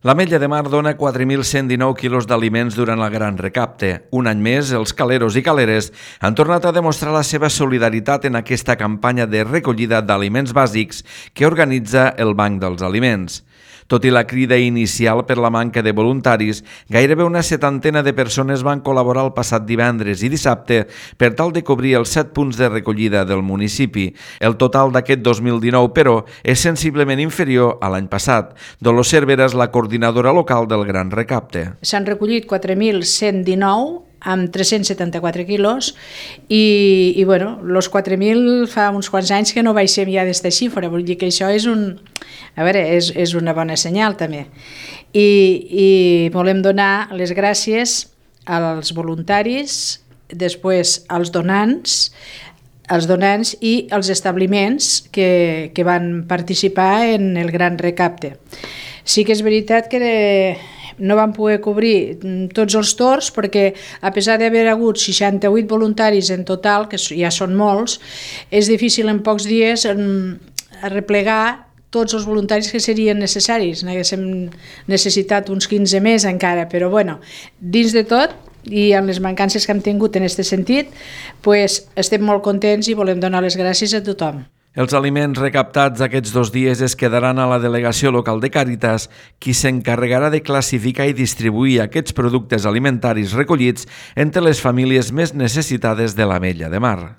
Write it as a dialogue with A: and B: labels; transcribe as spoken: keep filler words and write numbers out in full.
A: L'Ametlla de Mar dona quatre mil cent dinou quilos d'aliments durant el Gran Recapte. Un any més, els caleros i caleres han tornat a demostrar la seva solidaritat en aquesta campanya de recollida d'aliments bàsics que organitza el Banc dels Aliments. Tot i la crida inicial per la manca de voluntaris, gairebé una setantena de persones van col·laborar el passat divendres i dissabte per tal de cobrir els set punts de recollida del municipi. El total d'aquest dos mil dinou, però, és sensiblement inferior a l'any passat. Dolors Cervera és la coordinadora local del Gran Recapte.
B: S'han recollit quatre mil cent dinou amb tres-cents setanta-quatre quilos i, i bueno, els quatre mil fa uns quants anys que no baixem ja d'esta xifra, vull dir que això és, un, a veure, és, és una bona senyal també. I, i volem donar les gràcies als voluntaris, després als donants, els donants i els establiments que, que van participar en el Gran Recapte. Sí que és veritat que no vam poder cobrir tots els torns perquè, a pesar d'haver hagut seixanta-vuit voluntaris en total, que ja són molts, és difícil en pocs dies replegar tots els voluntaris que serien necessaris. N'haguéssim necessitat uns quinze més encara, però bueno, dins de tot i amb les mancances que hem tingut en aquest sentit, pues, estem molt contents i volem donar les gràcies a tothom.
A: Els aliments recaptats aquests dos dies es quedaran a la delegació local de Càritas, qui s'encarregarà de classificar i distribuir aquests productes alimentaris recollits entre les famílies més necessitades de l'Ametlla de Mar.